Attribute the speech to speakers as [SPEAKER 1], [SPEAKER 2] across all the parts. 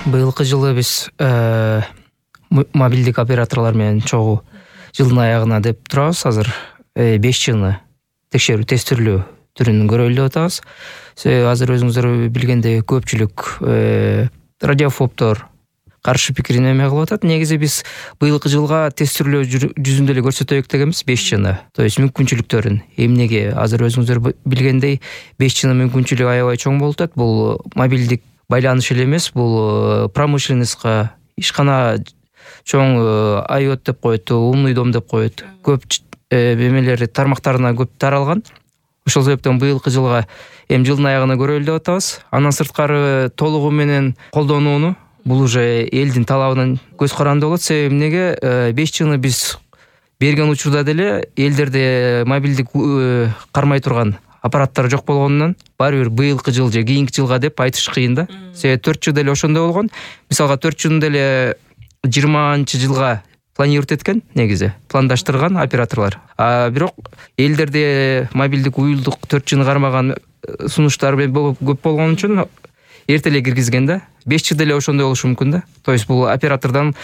[SPEAKER 1] Быйылкы жылы биз мобилдик операторлор менен чогуу жылдын аягына деп турабыз. Азыр 5 жыны текшерүү тестирлөө түрүн көрөлү деп атабыз. Азыр өзүңүздөр билгендей көпчүлүк радиофобдор каршы пикирин эме кылып атат. Негизи биз быйылкы жылга тестирлөө жүзүндө эле көрсөтөйүк дегенбиз 5 жыны. То есть мүмкүнчүлүктөрүн эмнеге азыр өзүңүздөр билгендей 5 жыны мүмкүнчүлүгү аябай чоң болуп атат. Бул мобилдик байланыш эле эмес, бул промышленностька, ишкана чоң IoT деп коет, умный дом деп коет. Көп эмелери тармактарына көп таралган. Ошол себептен быйылкы жылга жылдын аягына көрөлү деп атабыз. Андан сырткары толугу менен колдонууну бул уже элдин талабынан көз каранды болот. Себеби эмнеге 5 жыны биз берген учурда деле элдерде мобилдик кармай турган аппараттар жок болгондон баары бир быйылкы жыл же кийинки жылга деп айтыш кыйын да. Себеби 4 жыл деле ошондой болгон. Мисалга 4 жыл деле 20-жылга планировать эткен, негизи пландаштырган операторлор. Бирок элдерде мобилдик уюлдук 4 жыны кармаган сунуштар көп болгон үчүн эрте эле киргизген да. 5 жыл деле ошондой болушу мүмкүн да. То есть бул оператордон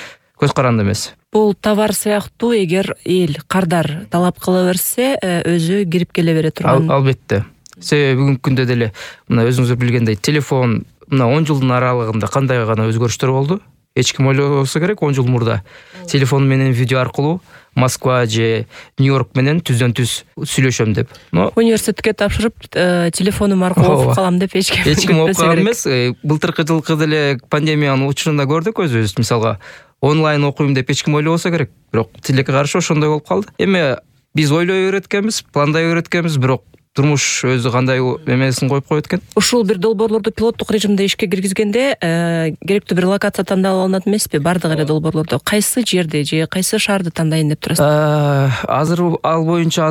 [SPEAKER 1] көз каранды эмес.
[SPEAKER 2] Бул товар сыяктуу, эгер эл кардар талап кыла берсе, өзү кирип келе бере турган.
[SPEAKER 1] Албетте. Себеби бүгүнкү күндө деле мына өзүңүздөр билгендей телефон мына 10 жылдын аралыгында кандай гана өзгөрүштөр болду. Эч ким ойлобосо керек, 10 жыл мурда телефон менен видео аркылуу Москва же Нью-Йорк менен түздөн түз сүйлөшөм деп.
[SPEAKER 2] Университетке тапшырып, телефонум аркылуу окуп калам деп эч ким
[SPEAKER 1] окуп калган эмес. Былтыркы жылкы деле пандемиянын учурунда көрдүк өзүбүз. Мисалга онлайн окуйм деп эч ким ойлобосо керек. Бирок тилекке каршы ошондой болуп калды. Эми биз ойлой өйрөткөнбүз, пландай өйрөткөнбүз, бирок турмуш өзү кандай эмесин коюп коет экен.
[SPEAKER 2] Ушул бир долбоорлорду пилоттук режимде ишке киргизгенде керектүү бир локация тандалып алынат эмеспи? Бардык эле долбоорлордо кайсы жерди же кайсы шаарды тандайын деп турасыз?
[SPEAKER 1] Азыр ал боюнча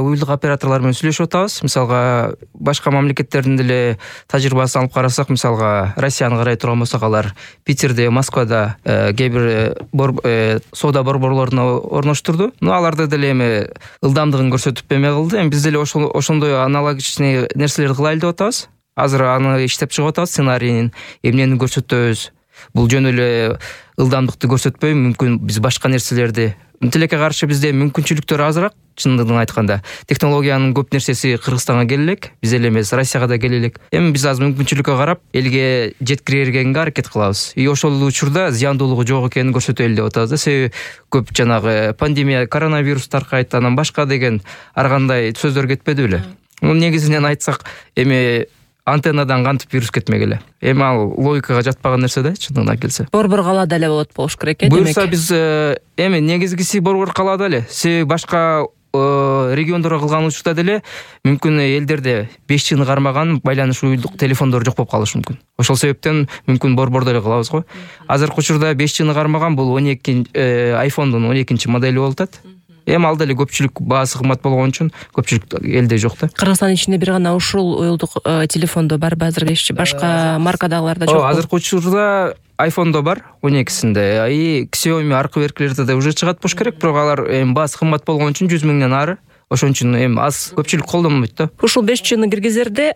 [SPEAKER 1] уюлдук операторлор менен сүйлөшүп атабыз. Мисалга башка мамлекеттердин деле тажрыйбасын алып карасак, мисалга Россияны карай турган болсок, алар Питерде, Москвада кээ бир соода борборлоруна орноштурду. Аларда деле эми ылдамдыгын көрсөтүп эме кылды. Биз деле ошондой аналогичный нерселерди кылайлы деп атабыз. Азыр аны иштеп чыгып атабыз, сценарийин эмнени көрсөтөбүз. Бул жөн эле ылдамдыкты көрсөтпөй, мүмкүн биз башка нерселерди. Тилекке каршы бизде мүмкүнчүлүктөр азыраак, чындыгын айтканда. Технологиянын көп нерсеси Кыргызстанга келелек, биз эле эмес, Россияга да келелек. Эми биз азыр мүмкүнчүлүккө карап, элге жеткирергенге аракет кылабыз. Ошол учурда зыяндуулугу жок экенин көрсөтөлү деп атабыз да. Себеби көп жанагы пандемия, коронавирус таркайт, анан башка деген ар кандай сөздөр кетпеди беле. Негизинен айтсак, эми антеннадан кантип вирус кетмек эле. Эми ал логикага жатпаган нерсе да, чындыгына келсе.
[SPEAKER 2] Борбор калаада эле болот болуш керек, демек.
[SPEAKER 1] Буюрса биз эми негизгиси борбор калаада эле. Себеби башка региондорго кылган учурда деле мүмкүн элдерде 5 жыны кармаган байланыш уюлдук телефондор жок болуп калышы мүмкүн. Ошол себептен мүмкүн борбордо эле кылабыз го. Азыркы учурда 5 жыны кармаган бул 12 iPhone'дун 12 модели болуп атат. Эми ал деле көпчүлүк баасы кымбат болгон үчүн көпчүлүк элде жок да.
[SPEAKER 2] Кыргызстан ичинде бир гана ушул уюлдук телефондо барбы азыр ишчи? Башка маркадагыларда жокпу?
[SPEAKER 1] Азыркы учурда iPhone'до бар 12-синде. Xiaomi аркы беркилерде да уже чыгат болуш керек, бирок алар эми баасы кымбат болгон үчүн 100 миңден ары. Ошон үчүн эми аз көпчүлүк колдонбойт да.
[SPEAKER 2] Ушул 5 жыны киргизерде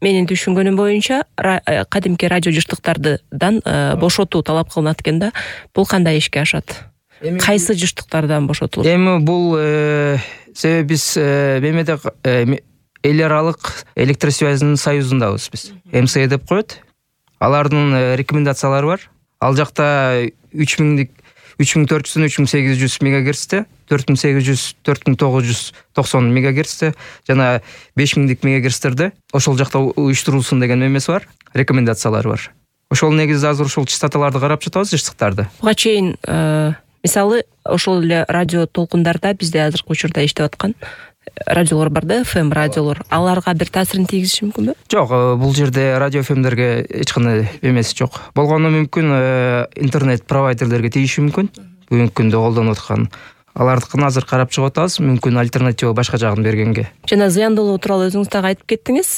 [SPEAKER 2] менин түшүнгөнүм боюнча кадимки радио жыштыктардан бошотуу талап кылынат экен да. Бул кандай ишке ашат? Кайсы жыштыктардан бошотулат?
[SPEAKER 1] Эми бул себеби биз мемеде эл аралык электросвязьнын союзундабыз биз. МСЭ деп коет. Алардын рекомендациялары бар. Ал жакта 3400 3800 мегагерцте, 4800 4990 мегагерцте жана 5000 мегагерцтерде ошол жакта уюштурулсун деген эмеси бар, рекомендациялары бар. Ошол негизде азыр ушул частоталарды карап жатабыз, жыштыктарды.
[SPEAKER 2] Буга чейин мисалы ошол эле радио толкундарда бизде азыркы учурда иштеп аткан радиолор бар да, FM радиолор. Аларга бир таасирин тийгизиши мүмкүнбү? Жок,
[SPEAKER 1] бул жерде радио FM'дерге эч кандай эмеси жок. Болгону мүмкүн интернет провайдерлерге тийиши мүмкүн. Бүгүнкү күндө колдонуп аткан алардыкын азыр карап чыгып атабыз, мүмкүн альтернатива башка жагын бергенге.
[SPEAKER 2] Жана зыяндуулугу тууралуу өзүңүз дагы айтып кеттиңиз.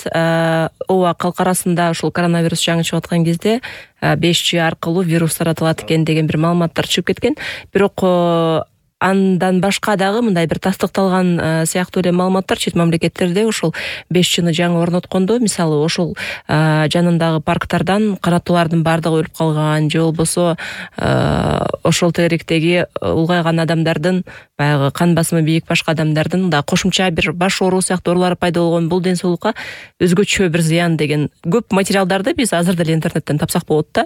[SPEAKER 2] Ооба, калк арасында ушул коронавирус жаңы чыгып аткан кезде 5G аркылуу вирус таратылат экен деген бир маалыматтар чыгып кеткен. Бирок андан башка дагы мындай бир тастыкталган сыяктуу эле маалыматтар чет мамлекеттерде ошол 5G жаңы орноткондо, мисалы ошол жанындагы парктардан канаттуулардын баардыгы өлүп калган, же болбосо ошол тегеректеги улгайган адамдардын, баягы кан басымы бийик башка адамдардын да кошумча бир баш оору сыяктуу оорулары пайда болгон, бул ден соолукка өзгөчө бир зыян деген көп материалдарды биз азыр деле интернеттен тапсак болот да.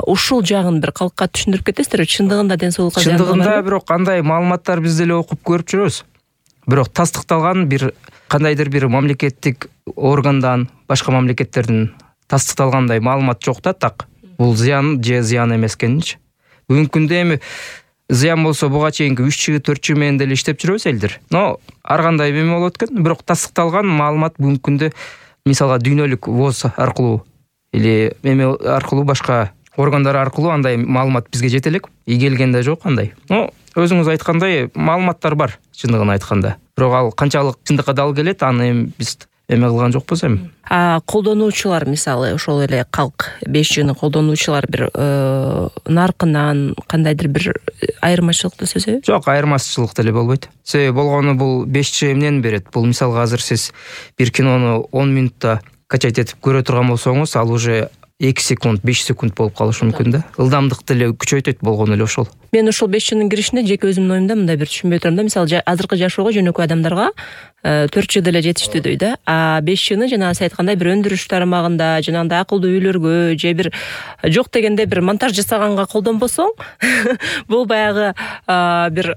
[SPEAKER 2] Ушул жагын бир калкка түшүндүрүп кетесиздерби? Чындыгында ден соолукка зыян барбы?
[SPEAKER 1] Чындыгында бирок андай маалыматтар биз деле окуп көрүп жүрөбүз. Бирок тастыкталган бир кандайдыр бир мамлекеттик органдан, башка мамлекеттердин тастыкталгандай маалымат жок да. Так бул зыян же зыян эмес экенинчи. Бүгүнкү күндө эми зыян болсо буга чейинки 3G 4G менен деле иштеп жүрөбүз элдер. Но ар кандай эме болот экен, бирок тастыкталган маалымат бүгүнкү күндө мисалга дүйнөлүк ВОЗ аркылуу или эме аркылуу, башка органдар аркылуу андай маалымат бизге жете элек. Келгенде жок андай. Но өзүңүз айткандай маалыматтар бар, чындыгын айтканда. Бирок ал канчалык чындыкка дал келет, аны эми биз эме кылган жокпуз эми.
[SPEAKER 2] Колдонуучулар, мисалы ошол эле калк 5G'ни колдонуучулар бир наркынан кандайдыр бир айырмачылыкты сезеби?
[SPEAKER 1] Жок, айырмачылык деле болбойт. Себеби болгону бул 5G эмнени берет? Бул мисалга азыр сиз бир кинону 10 минутта качать этип көрө турган болсоңуз, ал уже 2 секунд, 5 секунд болуп калышы мүмкүн да. Ылдамдык деле күчөйтөт болгону эле ошол.
[SPEAKER 2] Мен ошол 5G'нин киришине жеке өзүмдүн оюмда мындай бир түшүнбөй турам да. Мисалы азыркы жашоого жөнөкөй адамдарга 4G деле жетиштүү дейт да. 5G'ни жанагы сиз айткандай бир өндүрүш тармагында, жанагындай акылдуу үйлөргө же бир жок дегенде бир монтаж жасаганга колдонбосоң, бул баягы бир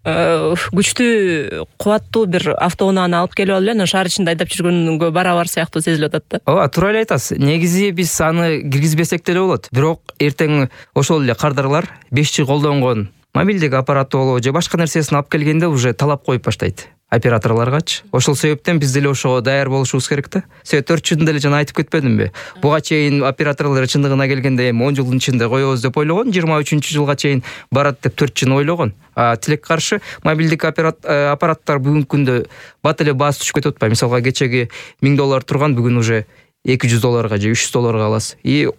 [SPEAKER 2] күчтүү, кубаттуу бир автоунааны алып келип алып эле анан шаар ичинде айдап жүргөнгө барабар сыяктуу сезилип атат да.
[SPEAKER 1] Ооба, туура эле айтасыз. Негизи биз аны киргизбесек деле болот. Бирок эртең ошол эле кардарлар 5G колдонгон мобилдик аппараты болобу же башка нерсесин алып келгенде уже талап коюп баштайт операторлоргачы. Ошол себептен биз деле ошого даяр болушубуз керек да. Себеби 4G'ни деле жана айтып кетпедимби? Буга чейин операторлор чындыгына келгенде эми 10 жылдын ичинде коебуз деп ойлогон, 23-жылга чейин барат деп 4G'ни ойлогон. Тилек каршы мобилдик аппараттар бүгүнкү күндө бат эле баасы түшүп кетип атпайбы? Мисалга кечеги $1000 турган бүгүн уже $200 же $300 аласыз.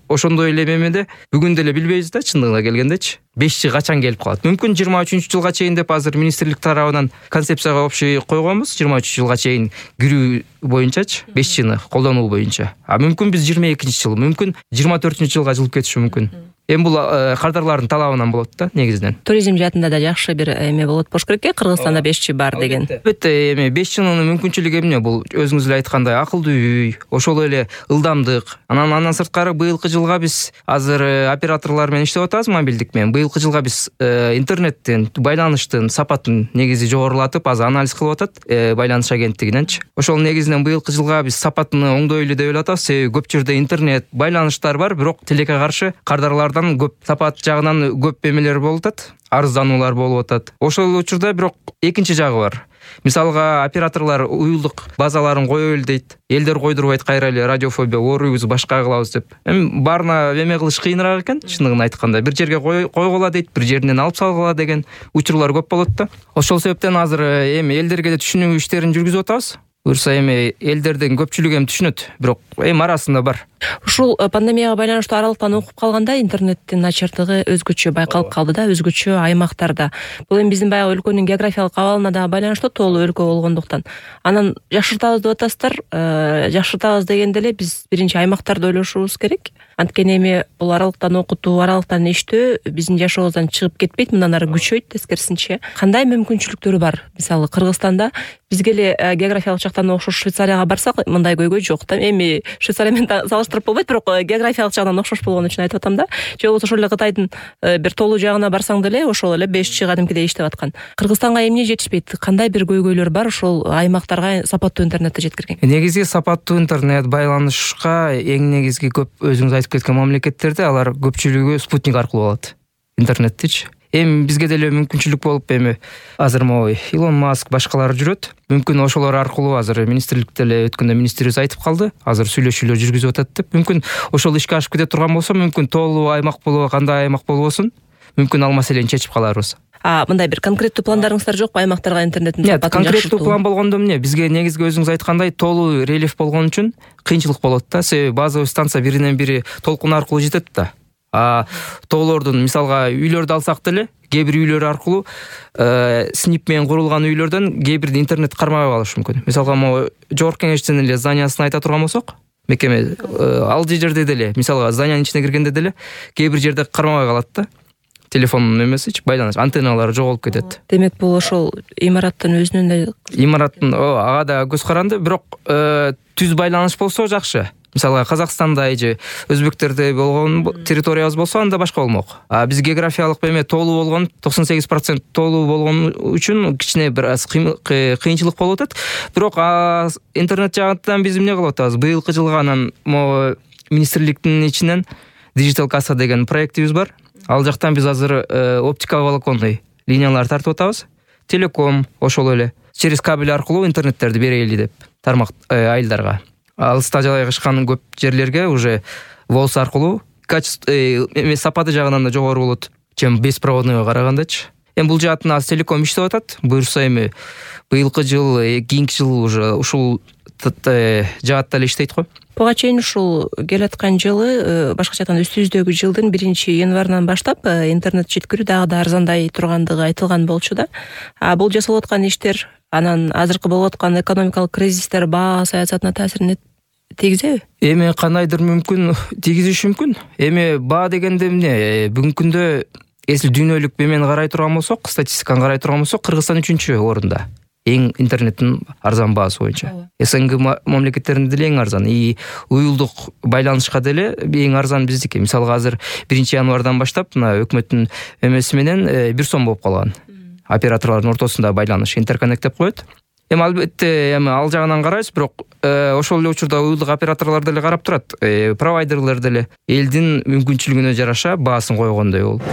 [SPEAKER 1] Ошондой эле эмеде бүгүн деле билбейбиз да, чындыгына келгендечи. 5G качан келип калат? Мүмкүн 23-жылга чейин деп азыр министрлик тарабынан концепцияга общий койгонбуз. 23-жылга чейин кирүү боюнчачы, 5G'ни колдонуу боюнча. Мүмкүн биз 22-жыл, мүмкүн 24-жылга жылып кетиши мүмкүн. Эми бул кардарлардын талабынан болот да, негизинен.
[SPEAKER 2] Туризм жаатында да жакшы бир эме болот болуш керек. Кыргызстанда 5G бар деген.
[SPEAKER 1] Албетте, эми 5G'нын мүмкүнчүлүгү эмне? Бул өзүңүз эле айткандай акылдуу үй, ошол эле ылдамдык. Андан сырткары быйылкы жылга биз азыр операторлор менен иштеп атабыз, мобилдик менен. Быйылкы жылга биз интернеттин, байланыштын сапатын негизи жогорулатып, азыр анализ кылып атат байланыш агенттигиненчи. Ошол негизинен быйылкы жылга биз сапатын оңдойлу деп атабыз. Себеби көп жерде интернет, байланыштар бар, бирок тилекке каршы кардарлар көп сапат жагынан көп эмелер болуп атат, арыздануулар болуп атат. Ошол учурда бирок экинчи жагы бар. Мисалга операторлор уюлдук базаларын коёбул дейт. Элдер койдурбайт кайра эле, радиофобия ооруйбуз, башка кылабыз деп. Эми баарына эме кылыш кыйыныраак экен, чындыгын айтканда. Бир жерге койгула дейт, бир жеринен алып салгыла деген учурлар көп болот да. Ошол себептен азыр эми элдерге да түшүнүү иштерин жүргүзүп атабыз. Буюрса эми элдердин көпчүлүгү эми түшүнөт, бирок эми арасында бар.
[SPEAKER 2] Ушул пандемияга байланыштуу аралыктан окуп калганда интернеттин начардыгы өзгөчө байкалып калды да, өзгөчө аймактарда. Бул эми биздин баягы өлкөнүн географиялык абалына да байланыштуу, тоолуу өлкө болгондуктан. Анан жакшыртабыз деп атасыздар. Жакшыртабыз дегенде эле биз биринчи аймактарды ойлошубуз керек. Анткени эми бул аралыктан окутуу, аралыктан иштөө биздин жашообуздан чыгып кетпейт, мындан ары күчөйт, тескерисинче. Кандай мүмкүнчүлүктөрү бар? Мисалы Кыргызстанда бизге эле географиялык жактан окшош Швейцарияга барсак, мындай көйгөй жок да. Эми Швейцария менен салыштырып болбойт, бирок географиялык жагынан окшош болгон үчүн айтып атам да. Же болбосо ошол эле Кытайдын бир тоолуу жагына барсаң деле ошол эле 5G кадимкидей иштеп аткан. Кыргызстанга эмне жетишпейт? Кандай бир көйгөйлөр бар ошол аймактарга сапаттуу интернетти жеткирген?
[SPEAKER 1] Негизги сапаттуу интернет байланышка эң негизги көп өзүңүз айтып кеткен мамлекеттерде алар көпчүлүгү спутник аркылуу алат интернеттичи. Эми бизге деле мүмкүнчүлүк болуп, эми азыр могу Илон Маск башкалар жүрөт. Мүмкүн ошолор аркылуу азыр министрликте эле өткөндө министрибиз айтып калды. Азыр сүйлөшүүлөр жүргүзүп атат деп. Мүмкүн ошол ишке ашып кете турган болсо, мүмкүн тоолуу аймак болобу, кандай аймак болбосун, мүмкүн ал маселени чечип каларбыз.
[SPEAKER 2] Мындай бир конкреттүү пландарыңыздар жокпу аймактарга интернеттин сапатын жакшыртуу? Конкреттүү
[SPEAKER 1] план болгондо эмне? Бизге негизги өзүңүз айткандай тоолуу рельеф болгон үчүн кыйынчылык болот да. Себеби базовый станция биринен бири толкун аркылуу жетет да. тоолордун мисалга үйлөрдү алсак деле кээ бир үйлөр аркылуу снип менен курулган үйлөрдөн кээ бирде интернет кармабай калышы мүмкүн. Мисалга могу жогорку кеңештин эле зданиясын айта турган болсок, мекеме ал жерде деле мисалга зданиянын ичине киргенде деле кээ бир жерде кармабай калат да. Телефон эмесичи байланыш антенналары жоголуп кетет.
[SPEAKER 2] Демек бул ошол имараттын өзүнүн да
[SPEAKER 1] ага да көз каранды, бирок түз байланыш болсо жакшы. Мисалга Казакстанда же өзбектерде болгон территориябыз болсо анда башка болмок. Биз географиялык эме тоолуу болгон 98% тоолуу болгон үчүн кичине бир аз кыйынчылык болуп атат. Бирок интернет жагынан биз эмне кылып атабыз? Быйылкы жылга анан могу министрликтин ичинен Digital Kassa деген проектибиз бар. Ал жактан биз азыр оптиковолоконный линиялар тартып атабыз. Телеком ошол эле через кабель аркылуу интернеттерди берели деп тармак айылдарга. Алыста жайгашкан көп жерлерге уже волс аркылуу качество сапаты жагынан да жогору болот, чем беспроводныйга карагандачы. Эми бул жаатын аз телеком иштеп атат. Буюрса эми быйылкы жыл, кийинки жыл уже ушул жаатта эле иштейт го.
[SPEAKER 2] Буга чейин ушул келаткан жылы, башкача айтканда үстүбүздөгү жылдын 1-январынан баштап интернет жеткирүү дагы да арзандай тургандыгы айтылган болчу да. Бул жасалып аткан иштер анан азыркы болуп аткан экономикалык кризистер баа саясатына таасирин тийгизеби?
[SPEAKER 1] Эми кандайдыр мүмкүн тийгизиши мүмкүн. Эми баа дегенде эмне? Бүгүнкү күндө эсил дүйнөлүк эмени карай турган болсок, статистиканы карай турган болсок, Кыргызстан 3-орунда. Эң интернеттин арзан баасы боюнча. СНГ мамлекеттеринде деле эң арзан. Уюлдук байланышка деле эң арзан биздики. Мисалга азыр 1-январдан баштап мына өкмөттүн эмеси менен 1 сом болуп калган. Операторлордун ортосунда байланыш интерконнект деп коет. Эми албетте ал жагынан карайбыз, бирок ошол эле учурда уюлдук операторлор деле карап турат. Провайдерлер деле элдин мүмкүнчүлүгүнө жараша баасын койгондой болуп.